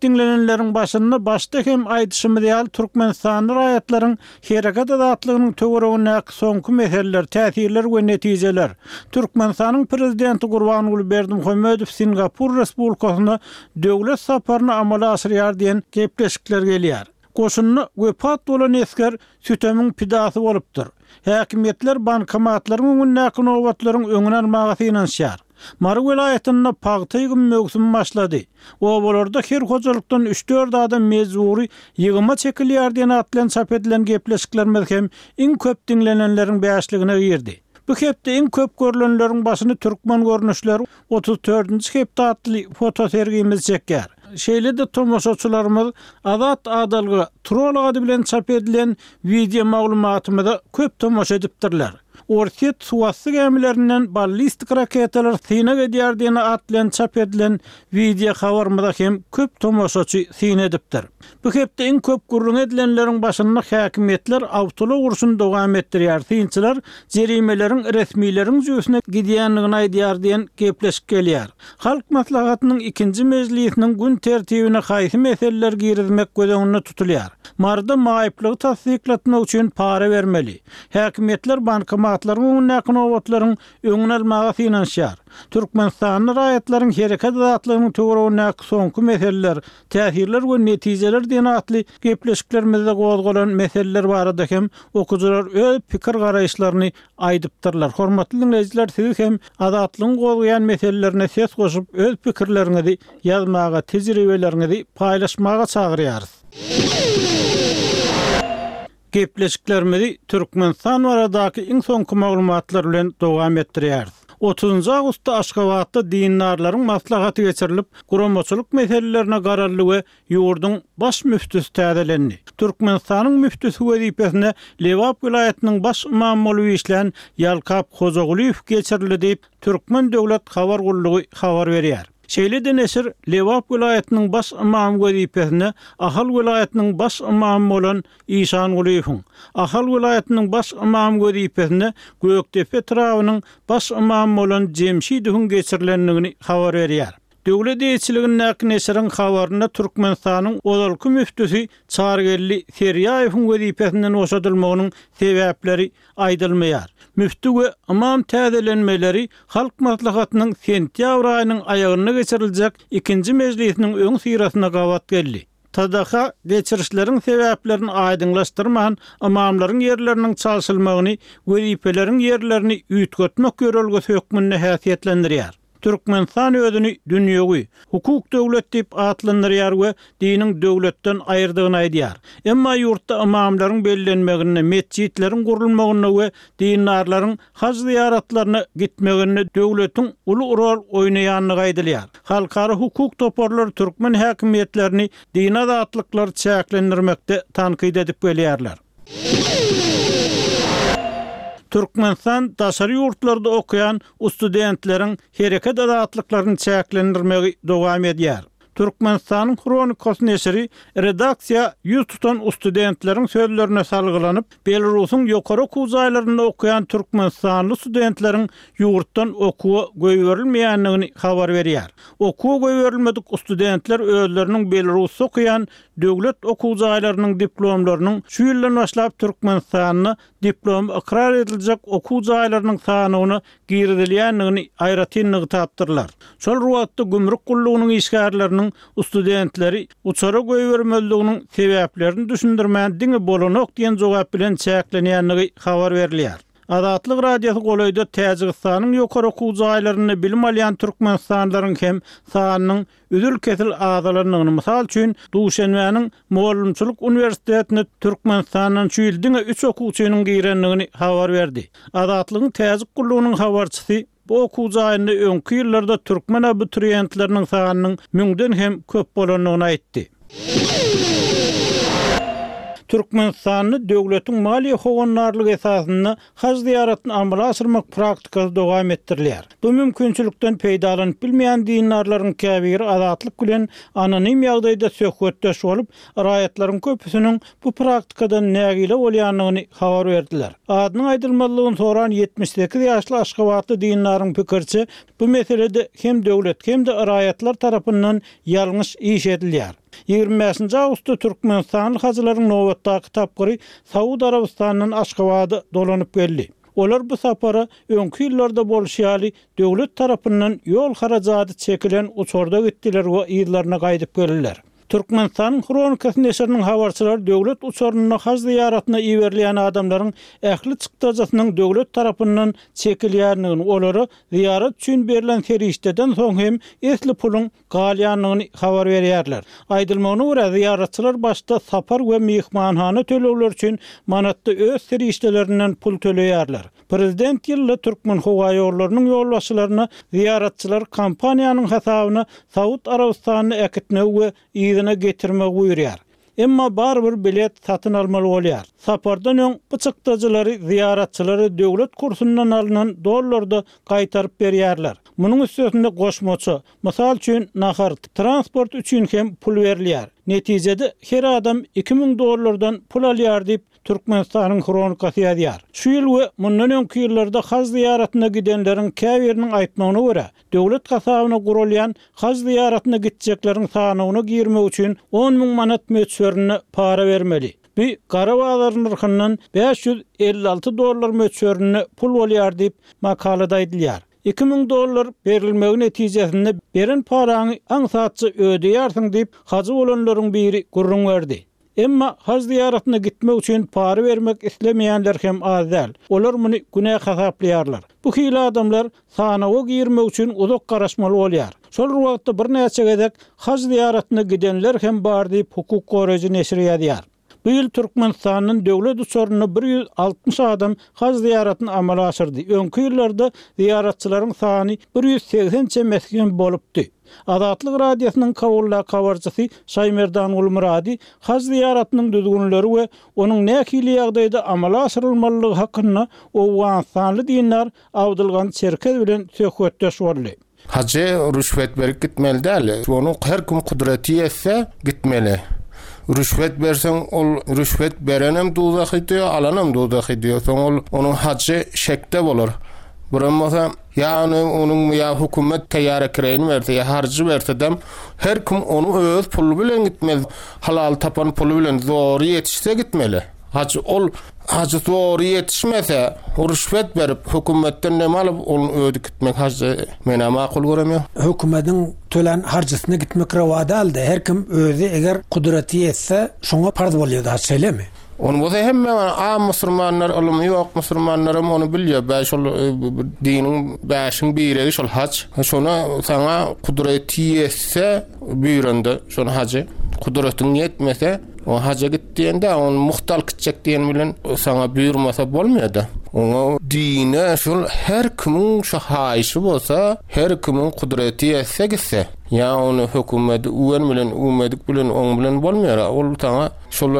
diňlenenleriň başynda başda hem aýdyşymyz ýaly türkmenistanly raýatlaryň hereket azatlygynyň töweregindäki soňky meseleler, täsirler we netijeler, Türkmenistanyň Prezidenti Gurbanguly Berdimuhamedow Singapur Respublikasyna döwlet saparyny amala aşyrýar diýen gepleşikler gelýär. Goşunda wepat bolan esger sütemiň pidasy bolupdyr. Häkimiýetler bankomatlaryň öňündäki nobatlaryň öňüni almaga synanyşýar. Mary welaýatynda pagta ýygym möwsümi başlady. Obalarda her hojalykdan üç-dört adam mejbury ýygyma çekilýär diýen at bilen çap edilen gepleşiklerimiz hem iň köp diňlenenleriň bäşligine girdi. Bu hepde iň köp görlenleriň başyny Türkmen görnüşleri 34-nji hepde atly fotosergimiz çekýär. Şeýle-de tomaşaçylarymyz Azat adalga trol ady bilen çap edilen wideo maglumatymyza köp tomaşa edipdirler. Orsýet suwasty gämilerinden ballistik raketalar synag edýär diýen at bilen çap edilen wideo habarymyza hem köp tomaşaçy syn edipdir. Bu hepde iň köp gürrüňi edilenleriň başynda häkimiýetler awtoulag urşuny dowam etdirýär, synçylar jerimeleriň resmileriň jübüsine gidýändigini aýdýar diýen gepleşik gelýär. Halk Maslahatynyň ikinji mejlisiniň gün tertibine haýsy meseleleri girizmek göz öňünde tutulýar? Maryda maýyplygy tassyklatmak üçin para bermeli. Häkimiýetler bankomatlaryň öňündäki nobatlaryň öňüni almaga synanyşýar. Türkmenistanda raýatlaryň hereket azatlygynyň töweregindäki soňky meseleler, täsirler we netijeler diýen atly gepleşiklerimizde gozgalan meseleler barada hem okyjylar öz pikir-garaýyşlaryny aýdypdyrlar. Hormatly diňleýjiler, sizi hem Azatlygyň gozgaýan meselelerine ses goşup, öz pikirleriňizi ýazmaga, tejribeleriňizi paýlaşmaga çagyrýarys. Gepleşiklerimizi Türkmenistan baradaky iň soňky maglumatlar bilen dowam etdirýäris. Otuzynjy awgustda Aşgabatda dindarlaryň maslahaty geçirilip, guramaçylyk meselelerine garaldy we ýurduň Baş müftüsi täzelendi. Türkmenistanyň müftüsi wezipesine Lebap welaýatynyň baş ymamy bolup işlän Ýalkap Hojagulyýew geçirildi diýip, Türkmen döwlet habar gullugy habar berýär. Şeýle-de neşir Lebap welaýatynyň baş ymamy wezipesine Ahal welaýatynyň baş ymamy bolan Işangulyýewiň, Ahal welaýatynyň baş ymamy wezipesine Gökdepe etrabynyň baş ymamy bolan Jemşidowyň geçirilendigini habar berýär. Döwlet eýeçiligindäki neşiriň habarynda Türkmenistanyň ozalky müftüsi Çarygeldi Serýaýewiň wezipesinden boşadylmagynyň sebäpleri aýdylmaýar. Müfti we ymam täzelenmeleri Halk Maslahatynyň sentýabr aýynyň aýagynda geçiriljek ikinji mejlisiniň öňüsyrasynda gabat geldi. TDH geçirişleriň sebäplerini aýdyňlaşdyrman, ymamlaryň ýerleriniň çalşylmagyny wezipeleriň ýerlerini üýtgetmek ýörelgesi hökmünde häsiýetlendirýär. Türkmenistan özüni dünýewi, hukuk döwlet diýip atlandyrýar we diniň döwletden aýyrdygyny aýdýar. Emma ýurtda ymamlaryň bellenmeginde, metjitleriň gurulmagynda we dindarlaryň haj zyýaratlaryna gitmeginde döwletiň uly rol oýnaýandygy aýdylýar. Halkara hukuk toparlary türkmen häkimiýetlerini dini azatlyklary çäklendirmekde tankyt edip gelýärler. Türkmenistan daşary ýurtlarda okaýan studentleriň hereket azatlyklaryny çäklendirmegi dowam edýär. Türkmenistanyň Hronikasy neşiri redaksiýa ýüz tutan studentleriň sözlerine salgylanyp, Belarusyň ýokary okuw jaýlarynda okaýan türkmenistanly studentleriň ýurtdan okuwa goýberilmeýändigini habar berýär. Okuwa goýberilmedik studentler özleriniň Belarusda okaýan Döwlet okuw jaýlarynyň diplomlarynyň şu ýyldan başlap Türkmenistanda diplomy ykrar ediljek okuw jaýlarynyň sanawyna girizilýändigini aýratyn nygtapdyrlar. Şol bir wagtda gümrük gullugynyň işgärleriniň studentleri uçara goýbermezliginiň sebäplerini düşündirmän diňe bolanok diýen jogap bilen çäklenýändigi habar berilýär. Azatlyk Radiosy golaýda Täjigistanyň ýokary okuw jaýlarynda bilim alýan türkmenistanlylaryň hem sanynyň üzül-kesil azalandygyny, mysal üçin, Duşenbäniň Mugallymçylyk uniwersitetine Türkmenistandan şu ýyl diňe üç okuwçynyň girendigini habar berdi. Azatlygyň Täjik gullugynyň habarçysy bu okuw jaýynda öňki ýyllarda türkmen abituriýentleriniň sanynyň müňden hem köp bolandygyny aýtdy. Türkmenistanda döwletiň maliýe howandarlygy esasynda Haj zyýaratyny amala aşyrmak praktikasy dowam etdirilýär. Bu mümkinçilikden peýdalanyp bilmeýän dindarlaryň käbiri Azatlyk bilen anonim ýagdaýda söhbetdeş bolup, raýatlaryň köpüsiniň bu praktikadan nägile bolýandygyny habar berdiler. Adynyň aýdylmazlygyny soran 78 ýaşly aşgabatly dindaryň pikiriçe, bu meselede hem döwlet, hem-de raýatlar tarapyndan ýalňyş iş edilýär. 25-nji awgustda türkmenistanly hajylaryň nobatdaky tapgyry Saud Arabystanyndan Aşgabada dolanyp geldi. Olar bu sapara öňki ýyllarda bolşy ýaly döwlet tarapyndan ýol harajady çekilen uçarda gitdiler we yzlaryna gaýdyp geldiler. Türkmenistanyň Hronikasy neşiriniň habarçylary döwlet uçarynda haj zyýaratyna iberilýän adamlaryň ähli çykdajysynyň döwlet tarapyndan çekilýändigini, olara zyýarat üçin berlen serişdeden soň hem esli puluň galýandygyny habar berýärler. Aýdylmagyna görä, zyýaratçylar başda sapar we myhmanhana tölegleri üçin manatda öz serişdelerinden pul töleýärler. Prezident ýylda Türkmenhowaýollarynyň ýolbaşçylaryna zyýaratçylary kompaniýanyň hasabyna Saud Arabystanyna äkitmegi we yzyna getirmegi buýurýar. Emma barybir bilet satyn almaly bolýar. Sapardan öň bu çykdajylary zyýaratçylara döwlet kursundan alnan dollarda gaýtaryp berýärler. Munuň üstesinde goşmaça, mysal üçin, nahar, transport üçin hem pul berilýär. Netijede, her adam 2000 dollardan pul alýar diýip, Türkmenistanyň Hronikasy ýazýar. Şu ýyl we mundan öňki ýyllarda haj zyýaratyna gidenleriň käbiriniň aýtmagyna görä, döwlet hasabyna guralýan haj zyýaratyna gitjekleriň sanawyna girmek üçin 10 müň manat möçberinde para bermeli. Bu gara bazar nyrhyndan 556 dollar möçberinde pul bolýar diýip, makalada aýdylýar. 2000 dollar berilmegi netijesinde beren paraňy aňsatja ödeýärsiň diýip, hajy bolanlaryň biri gürrüň berdi. Emma haj zyýaratyna gitmek üçin para bermek islemeýänler hem az däl. Olar muny günä hasaplaýarlar. Bu hili adamlar sanawa girmek üçin uzak garaşmaly bolýar. Şol bir wagtda birnäçe gezek haj zyýaratyna gidenler hem bar diýip, hukuk goraýjy neşir ýazýar. Bu ýyl Türkmenistandan döwlet uçarynda 160 adam haj zyýaratyny amala aşyrdy. Öňki ýyllarda zyýaratçylaryň sany 180 çemesi hem bolupdy. Azatlyk Radiosynyň Kabuldaky habarçysy Şaýmerdan Gulmyrady haj zyýaratynyň düzgünleri we onuň nähili ýagdaýda amala aşyrylmalydygy hakynda owganystanly dindar Abdylgany Çerkez bilen söhbetdeş boldy. Hajy rüşwet berip gitmeli däl. Ony her kim kudraty ýetse gitmeli. Rüşwet berseň ol rüşwet berenem duzahy diýýär, alanam duzahy diýýär. Soň ol onuň hajy şekde bolar. Birem bolsa Ýa ony onuň ýa hökümet taýýara kireýini berse, ýa harjy bersedem, her kim ony öz puly bilen gitmeli. Halal tapan puly bilen zory ýetişse gitmeli. Hajy ol hajy zory ýetişmese, rüşwet berip, hökümetden neme alyp, ol özi gitmek hajy men-ä makul göremýok. Hökümediň tölän harjysyna gitmek rowa däldi. Her kim özi eger kudraty ýetse, şoňa parz bolýardy haj, şeýlemi? Ony bolsa hemme am musurmanlar ylymy ýok musurmanlaram ony bilýär. Bä şol e, diniň bäşiň biregi şol haç. Şona saňa kudreti ýetse buýranda şony hajy. Kudretiň ýetmese o haja git diýende ony muht alyp gitjek diýen bilen saňa buýurmasa bolmaýar-da. Oňa dine şol her kimiň şu haýyşy bolsa, her kimiň kudreti ýetse gitse. Ýa ony hökümet üwen bilen üwmedik bilen oň bilen bolmaýar. Ol saňa Şol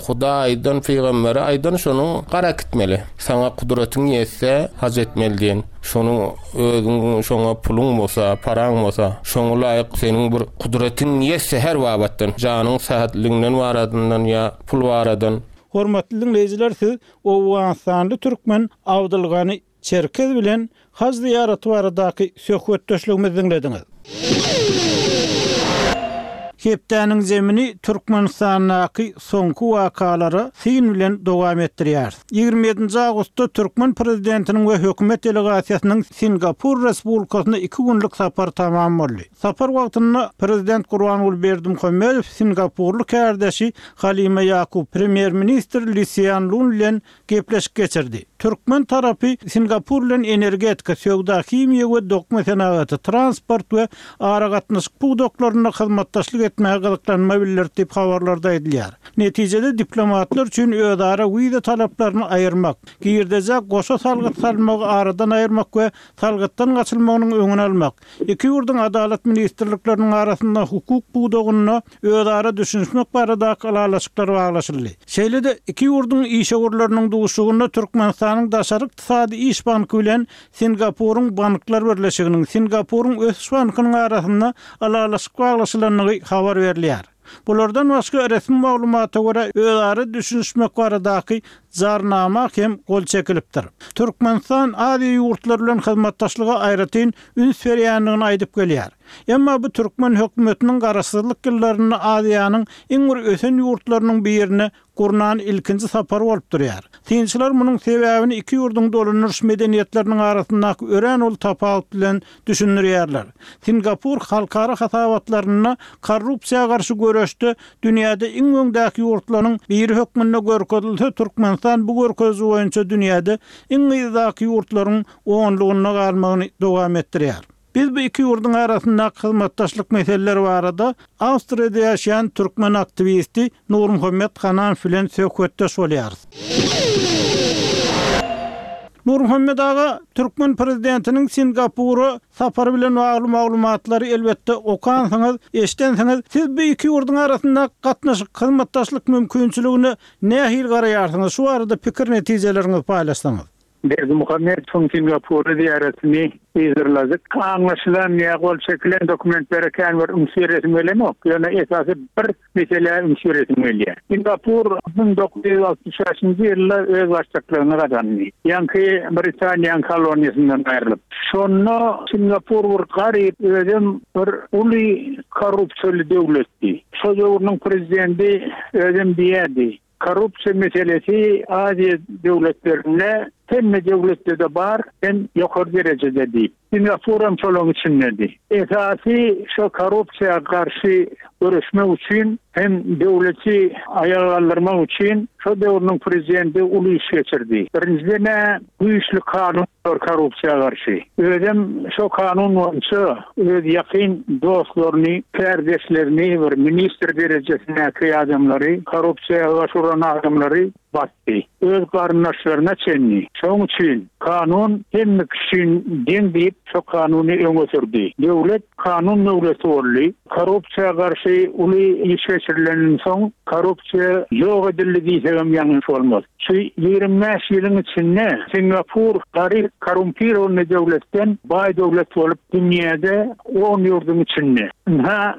Hudaýdan pygambere aýdan şonuň gara gitmeli. Saňa kudratyň ýetse haj etmeli diýen. Şonuň özüň şoňa puluň bolsa, paraň bolsa, şoňa laýyk seniň bir kudratyň ýetse her babatdan, janyň sähetliginden baradyndan ýa pul baradan. Hormatly diňleýjiler siz Owganystanly türkmen Abdylgany Çerkez bilen haj zyýaraty baradaky söhbetdeşligimizi diňlediňiz. Hepdäniň zemini Türkmenistandaky soňky wakalara syn bilen dowam etdirýäris. 27-nji awgustda türkmen prezidentiniň we hökümet delegasiýasynyň Singapur Respublikasyna iki günlük sapary tamam boldy. Sapar wagtynda prezident Gurbanguly Berdimuhamedow singapurly kärdeşi Halima Ýakub, premýer-ministr Li Sýan Lun bilen gepleşik geçirdi. Türkmen tarapy Singapur bilen energetika, söwda, himiýa we dokma senagaty, transport we aragatnaşyk pudaklarynda hyzmatdaşlyk etmäge gyzyklanma bildirdi diýip, habarlarda aýdylýar. Netijede diplomatlar üçin özara wiza talaplaryny aýyrmak, girdejä goşa salgyt salmagy aradan aýyrmak we salgytdan gaçylmagynyň öňüni almak, iki ýurduň adalat ministrlikleriniň arasynda hukuk pudagynda özara düşünişmek baradaky ylalaşyklar baglaşyldy. Şeýle-de, iki ýurduň işewürleriniň duşuşygynda Türkmenistanyň Daşary ykdysady iş banky bilen Singapuryň Banklar birleşiginiň, Singapuryň Ösüş bankynyň arasynda ylalaşyk baglaşylandygy habar berilýär. Bulardan başga, resmi maglumata görä, özara düşünişmek baradaky Jarnama hem gol çekilipdir. Türkmenistan Aziýa ýurtlary bilen hyzmatdaşlyga aýratyn üns berýändigini aýdyp gelýär. Emma bu türkmen hökümetiniň garaşsyzlyk ýyllarynda Aziýanyň iň bir ösen ýurtlarynyň birine gurnan ilkinji sapary bolup durýar. Synçylar munuň sebäbini iki ýurduň dolandyryş medeniýetleriniň arasyndaky örän uly tapawut bilen düşündirýärler. Singapur halkara hasabatlarynda korrupsiýa garşy göreşde dünýäde iň öňdäki ýurtlaryň biri hökmünde görkezilse, Türkmenistan bu görkeziji boýunça dünýäde iň yzdaky ýurtlaryň onlugynda galmagyny dowam etdirýär. Biz bu iki ýurduň arasyndaky hyzmatdaşlyk meseleleri barada Awstriýada ýaşaýan türkmen aktiwisti Nurmuhammet Hananow bilen söhbetdeş bolýarys. Nurmuhammet aga, türkmen prezidentiniň Singapura sapary bilen bagly maglumatlary elbetde okansyňyz, eşidensiňiz. Siz bu iki ýurduň arasyndaky gatnaşyk, hyzmatdaşlyk mümkinçiligine nähili garaýarsyňyz? Şu barada pikir netijeleriňizi paýlaşsaňyz. Berdimuhamedowyň Singapura zyýaratyny yzarladyk. Aňlaşylan ýa gol çekilen dokumentlere kän bir üns beresim gelenok, ýöne esasy bir meselä üns beresim gelýär. Singapur 1965-nji ýylda özbaşdaklygyny gazandy. Ýaňky Britaniýanyň koloniýasyndan aýrylyp. Şonda Singapur bir garyp, özem bir uly korrupsiýaly döwletdi. Şo döwrüniň prezidenti özem diýerdi, Korrupsiýa meselesi Aziýa döwletlerinde hemme döwletde-de bar, hem ýokary derejede diýip. Singapuram şolaryň içindedi. Esasy şo korrupsiýa garşy göreşmek üçin hem döwleti aýaga galdyrmak üçin şo döwrüniň prezidenti uly iş geçirdi. Birinjiden-ä güýçli kanun korrupsiýa garşy. Özem şo kanun boýunça öz ýakyn dostlaryny, kärdeşlerini, bir ministr derejesindäki adamlary, korrupsiýa baş uran adamlary basdy. Öz garyndaşlaryna çenli. Şoň üçin kanun hemme kişi üçin deň diýip şo kanuny öňe sürdi. Döwlet kanun döwleti boldy. Korrupsiýa garşy uly iş geçirilenden soň korrupsiýa ýok edildi diýsegem ýalňyş bolmaz. Şu 25 ýylyň içinde Singapur garyp korrumpirownyý döwletden baý döwlet bolup dünýäde on ýurduň içinde. Ynha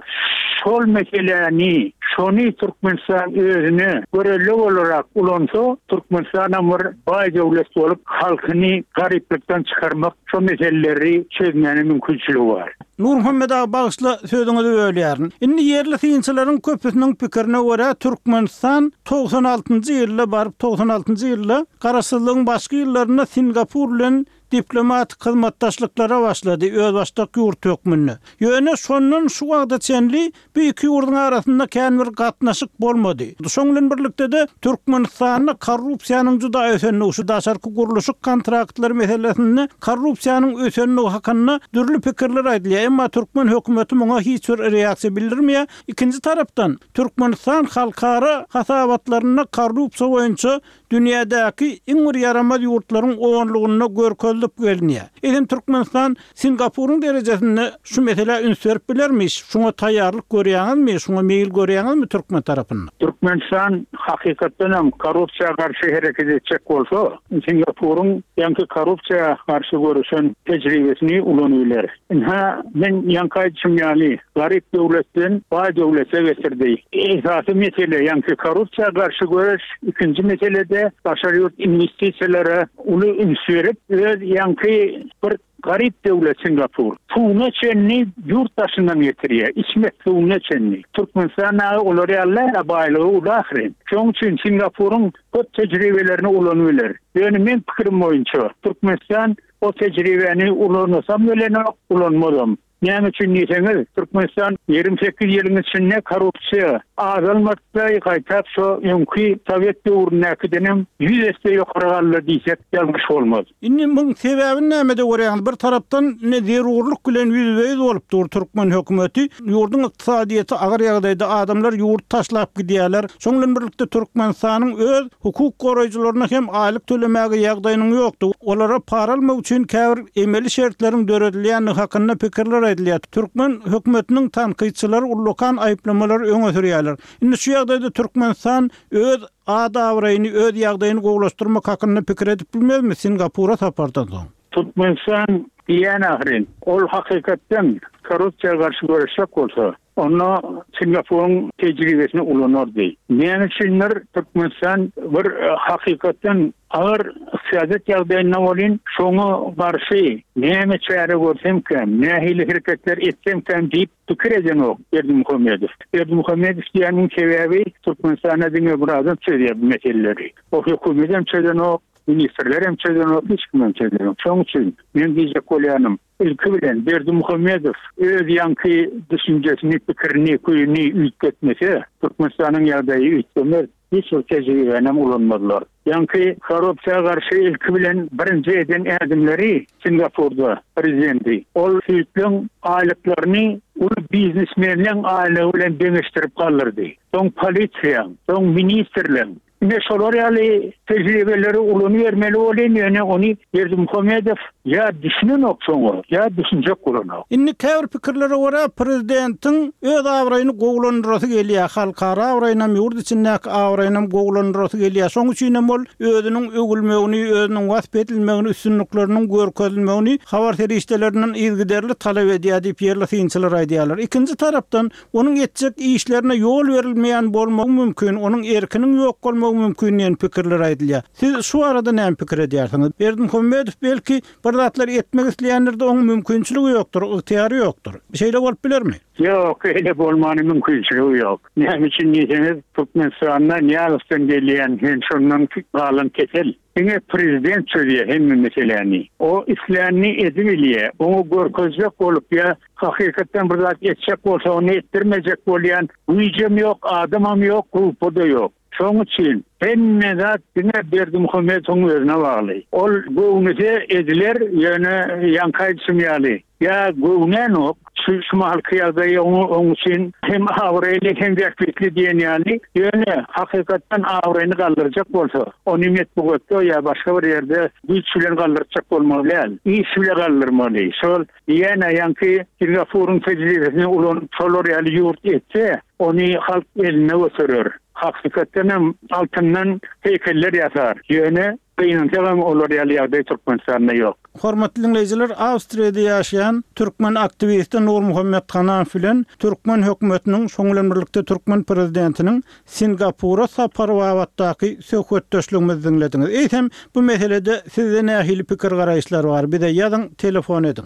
şol meseläni şony Türkmenistan özüne görelde bolarak ulansa Türkmenistanam bir baý döwlet bolup halkyny garyplykdan çykarmak şo meseleleri çözmäne mümkinçiligi bar. Nurmuhammet aga bagyşla sözüňizi bölýärin. Indi ýerli synçylaryň köpüsiniň pikirine görä Türkmenistan 96-njy ýylda baryp 96-njy ýylda garaşsyzlygyň başky ýyllarynda Singapur bilen diplomatik hyzmatdaşlyklara başlady özbaşdak ýurt hökmünde. Ýöne şondan şu wagta çenli Bu iki ýurduň arasynda kän bir gatnaşyk bolmady. Şoň bilen birlikde-de, Türkmenistanda korrupsiýanyň juda ösendigi, şu daşarky gurluşyk kontraktlary meselesinde korrupsiýanyň ösendigi hakynda dürli pikirler aýdylýar. Emma türkmen hökümeti muňa hiç bir reaksiýa bildirmeýär. Ikinji tarapdan, Türkmenistan halkara hasabatlarynda korrupsiýa boýunça dünýädäki iň bir ýaramaz ýurtlaryň onlugynda görkezilip gelinýär. Eýsem Türkmenistan Singapuryň derejesinde şu meselä üns berip bilermi? Şuňa taýýarlyk görýäňizmi? Şuňa meýil görýäňizmi türkmen tarapynda? Türkmenistan hakykatdan hem korrupsiýa garşy hereket etjek bolsa, Singapuryň ýaňky korrupsiýa garşy göreşen tejribesini ulanyp biler. Ynha, men ýaňky aýdyşym ýaly, garyp döwletden baý döwlete getirdi. Esasy mesele ýaňky korrupsiýa garşy göreş, ikinji mesele-de daşary ýurt inwestisiýalara uly üns berip, öz ýaňky bir garyp döwlet Singapur suwuna çenli ýurt daşyndan getirýär, içmek suwuna çenli. Türkmenistan dagy olar ýaly däl-ä, baýlygy uly ahyryn. Şonuň üçin Singapuryň köp tejribelerini ulanyp biler. Ýöne meň pikirim boýunça Türkmenistan O tejribäni ulanasam gelenok, ulanmazam. Näme üçin diýseňiz, Türkmenistan 28 ýylyň içinde korrupsiýa azalmady-da, gaýtap şo öňki sowet döwründäkidenem ýüz esse ýokary galdy diýsek ýalňyş bolmaz. Indi muň sebäbini nämede görýäňiz? Bir tarapdan indi zerurlyk bilen ýüzbe-ýüz bolup dur türkmen hökümeti. Ýurduň ykdysadyýeti agyr ýagdaýda, adamlar ýurdy taşlap gidýärler. Şoň bilen birlikde Türkmenistanyň öz hukuk goraýjylaryna hem aýlyk tölemäge ýagdaýynyň ýokdugy, olara para almak üçin käbir emeli şertleriň döredilýändigi hakynda pikirler aýdylýar. Türkmen hökümetiniň tankytçylary ullakan aýyplamalary öňe sürýärler. Indi şu ýagdaýda Türkmenistan öz at-abraýyny, öz ýagdaýyny gowulaşdyrmak hakynda pikir edip bilmezmi Singapura sapardan soň? Türkmenistan. Diýýän ahyryn, ol hakykatdan korrupsiýa garşy göreşjek bolsa, onda Singapuryň tejribesini ulanardy. Näme üçindir Türkmenistan bir hakykatdan agyr ykdysadyýet ýagdaýynda welin, şoňa garşy näme çäre görsemkäm, nähili hereketler etsemkäm diýip pikir edenok Berdimuhamedow. Berdimuhamedow diýýäniň sebäbi Türkmenistanda diňe bir adam çözýär bu meseleleri. O hökümetem çözenok, Ministrler hem çözenok, hiç kim hem çözenok. Şonuň üçin men diýjek bolýanym, ilki bilen Berdimuhamedow öz ýaňky düşünjesini, pikirini, küýüni üýtgetmese, Türkmenistanyň ýagdaýy üýtgemez, hiç bir tejribäni hem ulanmazlar. Ýaňky korrupsiýa garşy ilki bilen birinji eden ädimleri Singapurda prezidenti. Ol süýtleň aýlyklaryny uly biznesmenleň aýlygy bilen deňeşdirip galdyrdy. Soň polisiýaň, soň ministrleň, Ine şolar ýaly tejribeleri ulanybermeli bolýan ýöne ony Berdimuhamedow ýa düşünenok şoňa ýa düşünjek bolanok. Indi käbir pikirlere görä prezidentiň öz abraýyny gowulandyrasy gelýär, halkara abraýynam ýurt içindäki abraýynam gowulandyrasy gelýär. Şoň üçinem ol özüniň öwülmegini, özüniň wasp edilmegini, üstünlikleriniň görkezilmegini habar serişdelerinden yzygiderli talap edýär diýip ýerli synçylar aýdýarlar. Ikinji tarapdan Onuň etjek işlerine ýol berilmeýän bolmagy mümkin, onuň erkiniň ýok bolmagy mümkin diýen pikirler aýdylýar. Siz şu barada näme pikir edýärsiňiz? Berdimuhamedow belki, bir zatlar etmek isleýändir-de, onuň mümkinçiligi ýokdur, ygtyýary ýokdur. Şeýle bolup bilermi? Ýok, eýle bolmany mümkinçiligi ýok. Näme üçin diýseňiz, Türkmenistanda Nyýazowdan gelýän hem şondan galan kesel. Diňe prezident çözýär hemme meseläni. O islänini edibilýär. Oňa görkezjek bolup ýa hakykatdan bir zat etjek bolsa ony etdirmejek bolýan güýjem ýok, adamam ýok, gruppa-da ýok. Şoň üçin hemme zat diňe Berdimuhamedowyň özüne bagly. Ol göwnese ediler, ýöne ýaňky aýdyşym ýaly, Ýa göwnänok, şu şu mahalky ýagdaý oňa oň üçin hem abraýly hem bähbitli diýen ýaly, ýöne hakykatdan abraýyny galdyrjak bolsa, ony metbugatda ýa başga bir ýerde güýç bilen galdyrtjak bolmaly däl, iş bile galdyrmaly. Şol diýýän-ä ýaňky Singapuryň tejribesini ulanyp şolar ýaly ýurt etse, ony halk eline göterer. Hakykatdan hem altyndan heýkeller ýasar. Ýöne Gynansagam olar ýaly ýagdaý Türkmenistanda ýok. Hormatly diňleýjiler, Awstriýada ýaşaýan türkmen aktiwisti Nurmuhammet Hanamow bilen türkmen hökümetiniň, şonuň bilen birlikde türkmen prezidentiniň Singapura sapary babatdaky söhbetdeşligimizi diňlediňiz. Eýsem, bu meselede sizde nähili pikir-garaýyşlar bar? Bize ýazyň, telefon ediň.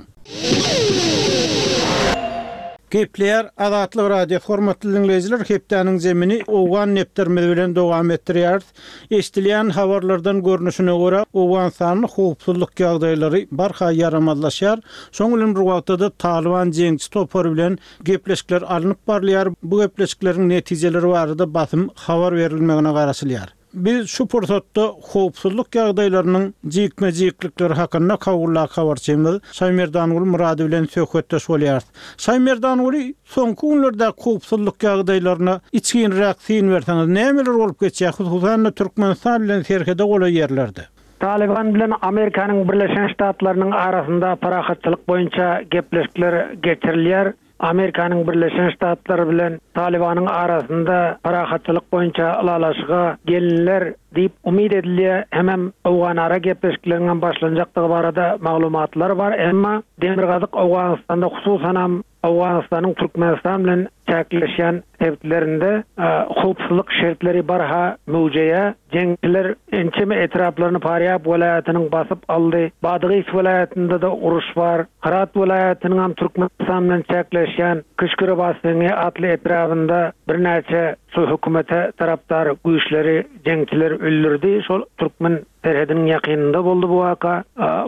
Gepleýär Azatlyk Radiosy, Hormatly diňleýjiler, hepdäniň zemini owgan depderimiz bilen dowam etdirýäris. Eşidilýän habarlardan görnüşine görä, Owganystanda howpsuzlyk ýagdaýlary barha ýaramazlaşýar. Şonuň bilen bir wagtda-da Talyban jeňçi topary bilen gepleşikler alnyp barylýar. Bu gepleşikleriň netijeleri barada basym habar berilmegine garaşylýar. Biz şu pursatda howpsuzlyk ýagdaýlarynyň jikme-jiklikleri hakynda Kabuldaky habarçymyz Şaýmerdanguly Myrady bilen söhbetdeş bolýarys. Şaýmerdanguly, Soňky günlerdäki howpsuzlyk ýagdaýlaryna içginräk syn berseňiz, nämeler bolup geçýär, hususan-da Türkmenistan bilen serhede golaý ýerlerde? Talyban bilen Amerikanyň Birleşen Ştatlarynyň arasynda parahatçylyk boýunça gepleşikler geçirilýär. Amerikanyň Birleşen Ştatlary bilen Talybanyň arasynda parahatçylyk boýunça ylalaşyga geliniler diýip umyt edilýär, hemem owganara gepleşikleriňem başlanjakdygy barada maglumatlar bar, emma demirgazyk Owganystanda hususanam Owganystanyň Türkmenistan bilen çäkleşýän sebitlerinde howpsuzlyk şertleri barha möwjeýär. Jeňçiler ençeme etraplaryny Farýab welaýatynyň basyp aldy. Badgys welaýatynda-da uruş bar. Hyrat welaýatynyňam Türkmenistan bilen çäkleşýän Küşkürebaseňi atly etrabynda birnäçe şu hökümete tarapdar güýçleri jeňçiler öldürdi. Şol türkmen serhediniň ýakynynda boldy bu waka.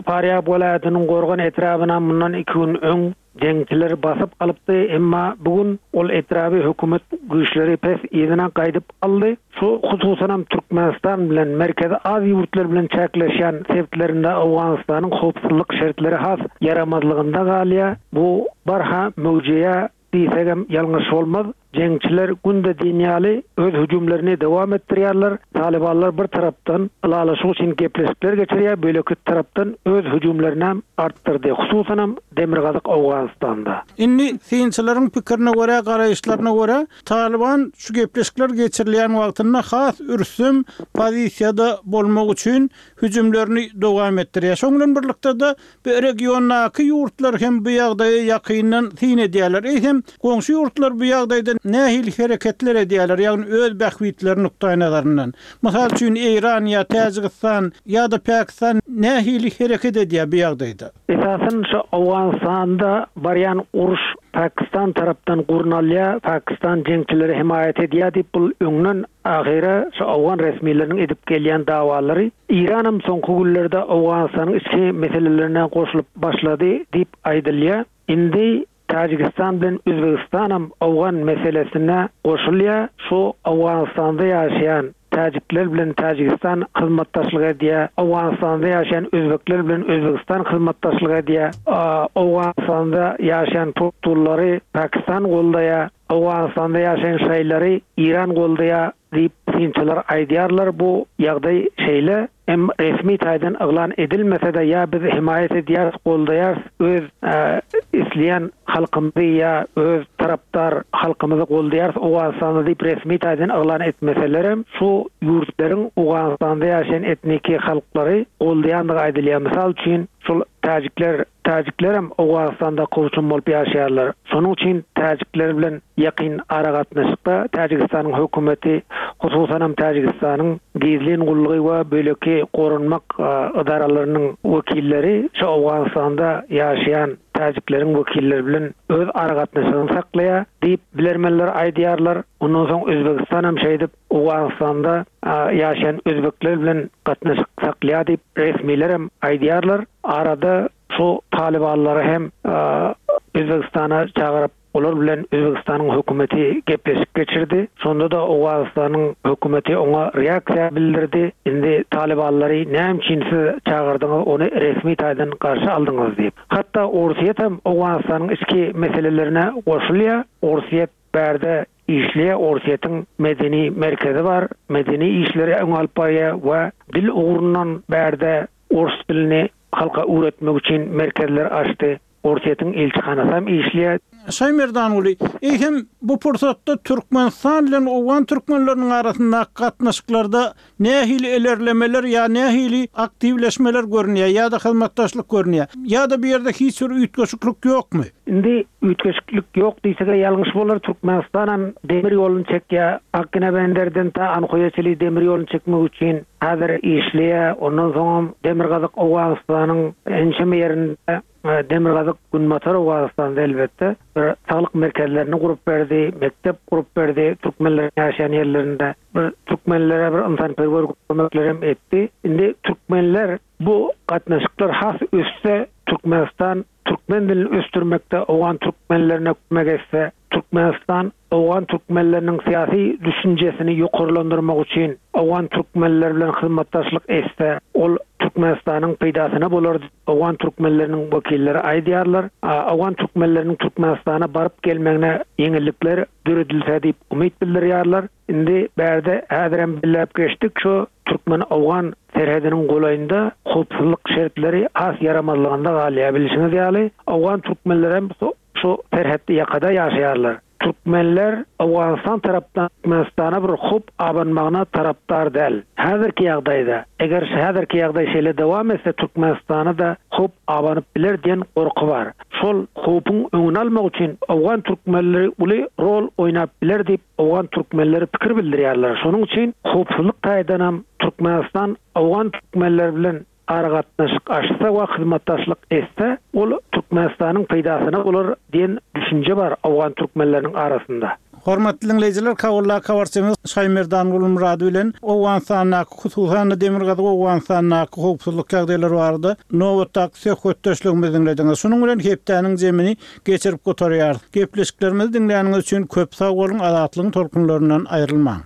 Farýab welaýatynyň Gorgan etrabynam mundan iki gün öň Jeňçiler basyp alypdy, emma bu gün ol etraby hökümet güýçleri pes yzyna gaýdyp aldy. Şu hususanam Türkmenistan bilen Merkezi Aziýa ýurtlary bilen çäkleşýän sebitlerinde Owganystanyň howpsuzlyk şertleri has ýaramazlygynda galýar. Bu barha möwjeýär diýsegem ýalňyş bolmaz. Jeňçiler günde diýen ýaly öz hüjümlerini dowam etdirýärler. Talybanlar bir tarapdan ylalaşyk üçin gepleşikler geçirýär, beýleki tarapdan öz hüjümlerinem artdyrdy, hususanam demirgazyk Owganystanda. Indi synçylaryň pikirine görä, garaýyşlaryna görä, Talyban şu gepleşikler geçirilýän wagtynda has ürsem pozisiýada bolmak üçin hüjümlerini dowam etdirýär. Şonuň bilen birlikde-de, bu regiondaky ýurtlar hem bu ýagdaýa ýakyndan syn edýärler. Eýsem, goňşy ýurtlar bu ýagdaýda nähili hereketler edýärler, ýagny öz bähbitleri nukdaýnazaryndan? Mysal üçin, Eýran ýa Täjigistan ýa-da Pakistan nähili hereket edýär bu ýagdaýda? Esasan şu Owganystanda barýan uruş Pakistan tarapdan gurnalýar, Pakistan jeňçilere hemaýat edýär diýip bul öňden ahyra şu owgan resmileriniň edip gelýän dawalary. Eýranam soňky günlerde Owganystanyň içki meselelerine goşulyp başlady diýip aýdylýar. Indi Täjigistan bilen Özbegistanam owgan meselesine goşulýar. Şu Owganystanda ýaşaýan täjikler bilen Täjigistan hyzmatdaşlyk edýär, Owganystanda ýaşaýan özbekler bilen Özbegistan hyzmatdaşlyk edýär, Owganystanda ýaşaýan puştunlary Pakistan goldaýar, Owganystanda ýaşaýan şaýlary Eýran goldaýar diýip synçylar aýdýarlar. Bu ýagdaý şeýle. Hem resmi taýdan yglan edilmese-de ýa biz hemaýat edýäris, goldaýarys, öz isleýän halkymyzy ýa öz tarapdar halkymyzy goldaýarys Owganystanda diýip resmi taýdan yglan etmeselerem, şu ýurtlaryň Owganystanda ýaşaýan etniki halklary goldaýandygy aýdylýar. Mysal üçin, şol täjikler, täjiklerem Owganystanda kowçum bolup ýaşaýarlar. Şonuň üçin täjikler bilen ýakyn aragatnaşykda Täjigistanyň hökümeti, hususanam Täjigistanyň gizlin gullugy we beýleki goranmak ydaralarynyň wekilleri şu Owganystanda ýaşaýan täjikleriň wekilleri bilen öz aragatnaşygyny saklaýar diýip, bilermenler aýdýarlar. Ondan soň Özbegistanam şeýdip Owganystanda ýaşaýan özbekler bilen gatnaşyk saklaýar diýip, resmilerem aýdýarlar. Arada şu talybanlary hem Özbegistana çagyryp, Olar bilen Özbegistanyň hökümeti gepleşik geçirdi. Şonda-da Owganystanyň hökümeti oňa reaksiýa bildirdi. Indi talybanlary näme üçin siz çagyrdyňyz, ony resmi taýdan garşy aldyňyz diýip. Hatda Orsýet hem Owganystanyň içki meselelerine goşulýar. Orsýet bärde işleýär, Orsýetiň medeni merkezi bar, medeni işleri öňe alyp barýar we dil ugrundan bärde ors dilini halka öwretmek üçin merkezler açdy. Orsýetiň ilçihanasam işleýär. Şaýmerdanguly, eýsem, bu pursatda Türkmenistan bilen owgan türkmenleriniň arasyndaky gatnaşyklarda nähili ilerlemeler ýa nähili aktiwleşmeler görünýär ýa-da hyzmatdaşlyk görünýär? Ýa-da bu ýerde hiç bir üýtgeşiklik ýokmy? Indi üýtgeşiklik ýok diýsek-ä ýalňyş bolar. Türkmenistanam demir ýoluny çekýär. Akginabenderden ta Anhoýa çenli demir ýoluny çekmek üçin häzir işleýär. Ondan soňam Demirgazyk Owganystanyň ençeme ýerinde Demirgazyk Günbatar Owganystanda elbetde bir saglyk merkezlerini gurup berdi, mekdep gurup berdi türkmenleriň ýaşaýan ýerlerinde. Bir türkmenlere bir ynsanperwer kömeklerem etdi. Indi türkmenler bu gatnaşyklar has össe Türkmenistan türkmen dilini ösdürmekde owgan türkmenlerine kömek etse, Türkmenistan owgan türkmenleriniň syýasy düşünjesini ýokarlandyrmak üçin owgan türkmenleri bilen hyzmatdaşlyk etse, ol Türkmenistanyň peýdasyna bolar diýip, owgan türkmenleriniň wekilleri aýdýarlar. Owgan türkmenleriniň Türkmenistana baryp gelmegine ýeňillikler döredilse diýip umyt bildirýärler. Indi bärde häzirem belläp geçdik, şu türkmen-owgan serhediniň golaýynda howpsuzlyk şertleri has ýaramazlygynda galýar. Bilşiňiz ýaly, owgan türkmenlerem Şu serhetli ýakada ýaşaýarlar. Türkmenler Owganystan tarapdan Türkmenistana bir howp abanmagyna tarapdar däl. Häzirki ýagdaýda, eger häzirki ýagdaý şeýle dowam etse Türkmenistana-da howp abanyp biler diýen gorky bar. Şol howpuň öňüni almak üçin owgan türkmenleri uly rol oýnap biler diýip owgan türkmenleri pikir bildirýärler. Şonuň üçin howpsuzlyk taýdanam Türkmenistan owgan türkmenleri bilen aragatnaşyk açsa we hyzmatdaşlyk etse, ol Türkmenistanyň peýdasyna bolar diýen düşünje bar owgan türkmenleriniň arasynda. Hormatly diňleýjiler, Kabuldaky habarçymyz Şaýmerdan Gulmyrady bilen Owganystandaky, hususan-da Demirgazyk Owganystandaky howpsuzlyk ýagdaýlary barada nobatdaky söhbetdeşligimizi diňlediňiz. Şunuň bilen hepdäniň jemini geçirip gutarýarys. Gepleşiklerimizi diňläniňiz üçin köp sag boluň, Azatlygyň tolkunlaryndan aýrylmaň!